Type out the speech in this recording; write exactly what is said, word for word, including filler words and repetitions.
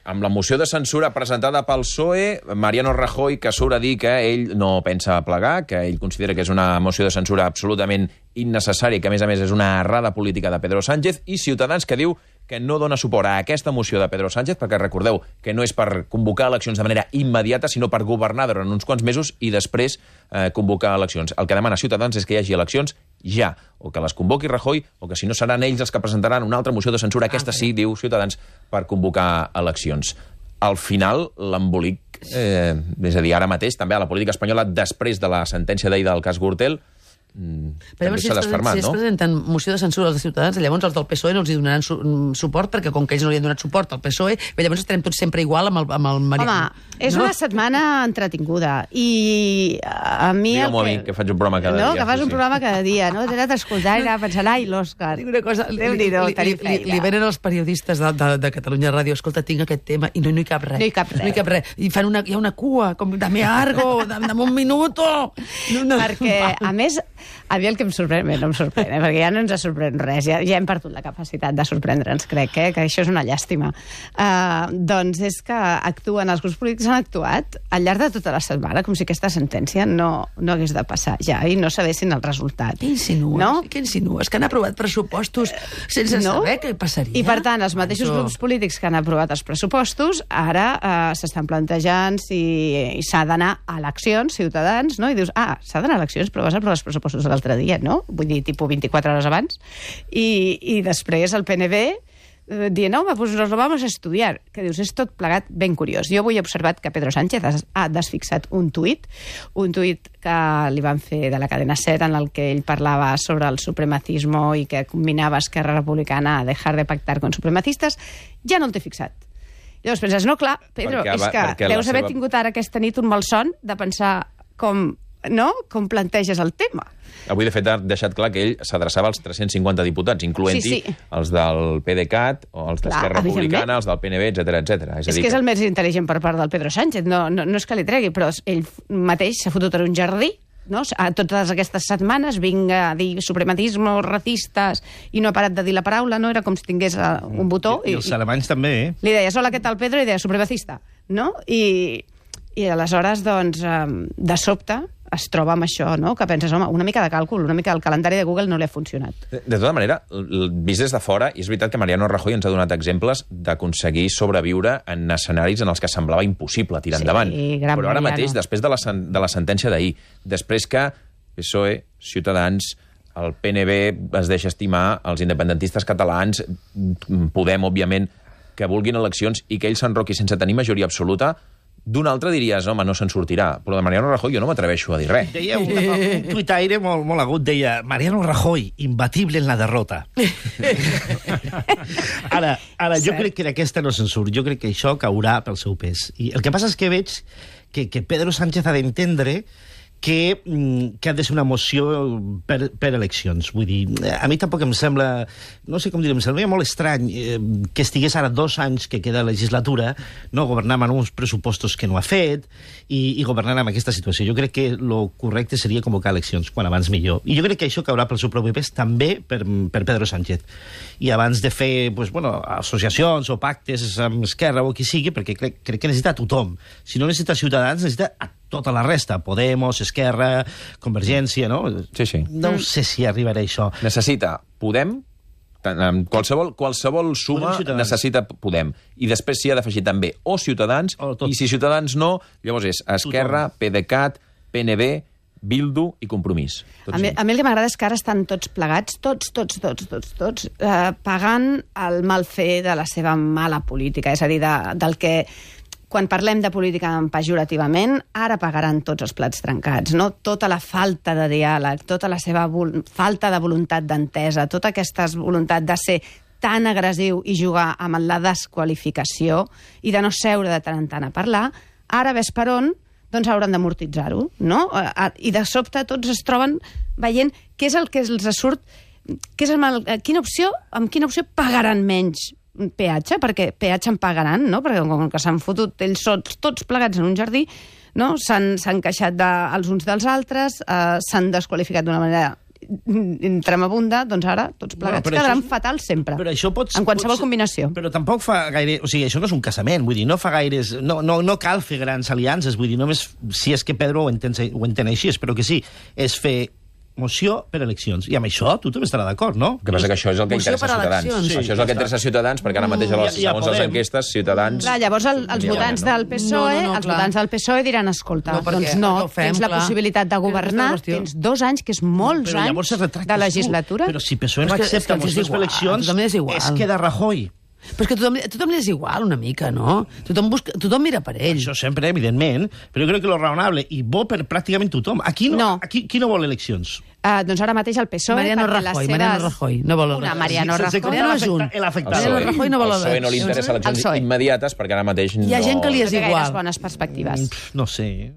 amb la moció de censura presentada pel P S O E, Mariano Rajoy, que surt a dir que ell no pensa plegar, que ell considera que és una moció de censura absolutament innecessària, que a més a més és una errada política de Pedro Sánchez, i Ciutadans, que diu que no dona suport a aquesta moció de Pedro Sánchez, perquè recordeu que no és per convocar eleccions de manera immediata, sinó per governar durant uns quants mesos i després eh, convocar eleccions. El que demana Ciutadans és que hi hagi eleccions ja, o que les convoqui Rajoy, o que si no seran ells els que presentaran una altra moció de censura, aquesta sí, diu Ciutadans, per convocar eleccions. Al final, l'embolic, eh, és a dir, ara mateix, també a la política espanyola, després de la sentència d'ahir del cas Gürtel, però també s'ha desfermat, no? Si es presenten moció de censura als ciutadans, llavors els del P S O E no els hi donaran su suport, perquè com que ells no li han donat suport al P S O E, llavors estarem tots sempre igual amb el, amb el Mariano. Home, és no? una setmana entretinguda, i a mi... Digue-m'ho a mi, que faig un programa cada no, dia. Que fas sí, un sí. programa cada dia, no? T'he anat a escoltar i anar pensant, ai, l'Òscar. Dic una cosa, li, li, li, li, li venen els periodistes de, de, de Catalunya Ràdio, escolta, tinc aquest tema, i no, no hi cap res. No hi cap res. No hi cap res. I fan una, hi ha una cua, com, dame algo, dame, dame un minuto. No, no. Perquè, a més, a mi el que em sorprèn, bé, no em sorprèn, eh? perquè ja no ens sorprèn res, ja, ja hem perdut la capacitat de sorprendre'ns, crec, eh? que això és una llàstima. Uh, doncs és que actuen, els grups polítics han actuat al llarg de tota la setmana, com si aquesta sentència no, no hagués de passar ja, i no sabessin el resultat. Què insinues? No? Què insinues? Que han aprovat pressupostos sense no? saber què passaria? I per tant, els mateixos Això... grups polítics que han aprovat els pressupostos ara uh, s'estan plantejant si s'ha d'anar a eleccions, Ciutadans, no? I dius, ah, s'ha d'anar a eleccions, però vas aprovar els pressupostos l'altre dia, no? Vull dir, tipus vint-i-quatre hores abans. I, i després el P N B eh, dient, no, home, pues nos lo vamos a estudiar. Que dius, és tot plegat ben curiós. Jo avui he observat que Pedro Sánchez ha desfixat un tuit, un tuit que li van fer de la cadena SER, en el que ell parlava sobre el supremacismo i que combinava Esquerra Republicana a dejar de pactar con supremacistes. Ja no el té fixat. Llavors penses, no, clar, Pedro, perquè, és que deus haver seva... tingut ara aquesta nit un malson de pensar com, no? com planteges el tema. Avui, de fet, ha deixat clar que ell s'adreçava als tres-cents cinquanta diputats, incloent-hi sí, sí. els del PDeCAT, o els d'Esquerra Republicana, els del P N B, etcètera, etcètera. És, és a dir que és que... el més intel·ligent per part del Pedro Sánchez. No, no, no és que li tregui, però ell mateix s'ha fotut en un jardí, no? A totes aquestes setmanes vinga a dir suprematisme, racistes, i no ha parat de dir la paraula, no? Era com si tingués un botó. I, i els alemanys també, eh? Li deies, hola, què tal, Pedro? I deia, supremacista, no? I, i aleshores, doncs, de sobte es troba amb això, no? Que penses, home, una mica de càlcul, una mica del calendari de Google no li ha funcionat. De, de tota manera, vist des de fora, és veritat que Mariano Rajoy ens ha donat exemples d'aconseguir sobreviure en escenaris en els que semblava impossible tirar sí, endavant. Però ara Mariano. mateix, després de la, de la sentència d'ahir, després que P S O E, Ciutadans, el P N B es deixa estimar, els independentistes catalans, Podem, òbviament, que vulguin eleccions i que ell s'enroqui sense tenir majoria absoluta, d'un altre diries, home, no se'n sortirà. Però de Mariano Rajoy jo no m'atreveixo a dir res. Deia un, un tuitaire molt, molt agut, deia Mariano Rajoy, imbatible en la derrota. ara, ara jo crec que d'aquesta no se'n surt. Jo crec que això caurà pel seu pes. I el que passa és que veig que, que Pedro Sánchez ha d'entendre que, que ha de ser una moció per, per eleccions. Vull dir, a mi tampoc em sembla, no sé com dir, em sembla molt estrany eh, que estigués ara dos anys que queda la legislatura, no, governant amb uns pressupostos que no ha fet i, i governant amb aquesta situació. Jo crec que el correcte seria convocar eleccions, quan abans millor. I jo crec que això caurà pel seu propi pes també per, per Pedro Sánchez. I abans de fer pues, bueno, associacions o pactes amb Esquerra o qui sigui, perquè crec, crec que necessita tothom. Si no necessita Ciutadans, necessita a tota la resta, Podemos, Esquerra, Convergència, no? Sí, sí. No mm. sé si arribarà a això. Necessita Podem, qualsevol, qualsevol suma necessita Podem. I després s'hi ha d'afegir també o Ciutadans, o i si Ciutadans no, llavors és Esquerra, PDeCAT, P N B, Bildu i Compromís. A mi, a mi el que m'agrada és que ara estan tots plegats, tots, tots, tots, tots, tots, eh, pagant el mal fer de la seva mala política, és a dir, de, del que... Quan parlem de política pejorativament, ara pagaran tots els plats trencats, no? Tota la falta de diàleg, tota la seva falta de voluntat d'entesa, tota aquesta voluntat de ser tan agressiu i jugar amb la desqualificació i de no seure de tant en tant a parlar, ara ves per on, doncs hauran d'amortitzar-ho, no? I de sobte tots es troben veient què és el que els surt, què és el, quina opció, amb quina opció pagaran menys peatge, perquè peatge en pagaran, no? Perquè com que s'han fotut ells sols tots plegats en un jardí, no? S'han queixat de, els uns dels altres, eh, s'han desqualificat d'una manera tremabunda, doncs ara tots plegats Bueno, però quedaran això- fatals sempre. Però això pots, en qualsevol pots, combinació. Però tampoc fa gaire... O sigui, això no és un casament, vull dir, no fa gaires... No, no, no cal fer grans aliances, vull dir, només si és que Pedro ho entén, ho entén així, espero que sí, és fer moció per eleccions. I amb això tothom estarà d'acord, no? El que passa que això és el que Moció interessa per Ciutadans. eleccions. Sí, això és el que interessa Ciutadans, perquè ara mateix, a les, Ja- ja segons les podem. enquestes, Ciutadans... Clar, llavors el, els votants del P S O E, No, no, no, els clar. votants del P S O E diran, escolta, No, perquè doncs no, no ho fem, tens la clar. possibilitat de Aquesta governar, és la qüestió. tens dos anys, que és molts Però llavors es anys retractes de legislatura. Tu. Però si P S O E Però no és que- és que accepta els és mocions per igual, eleccions, a tothom li és igual. es queda Rajoy. Però és que tothom, a tothom li és igual una mica, no? Tothom, busca, tothom mira per ell. Això sempre, evidentment, però jo crec que lo raonable, i bo per pràcticament tothom. Aquí no, No. Aquí, qui no vol eleccions? Uh, doncs ara mateix el P S O E... Mariano perquè les Rajoy, seves... Mariano Rajoy, no vol... Una Mariano Sense Rajoy. comptar Mariano l'afecta- Junt. l'afectat. El Mariano Rajoy no vol el P S O E no li eleccions. interessa El eleccions P S O E. immediates, perquè ara mateix no... Hi ha gent que li No és té gaires igual. bones perspectives. Mm, No sé.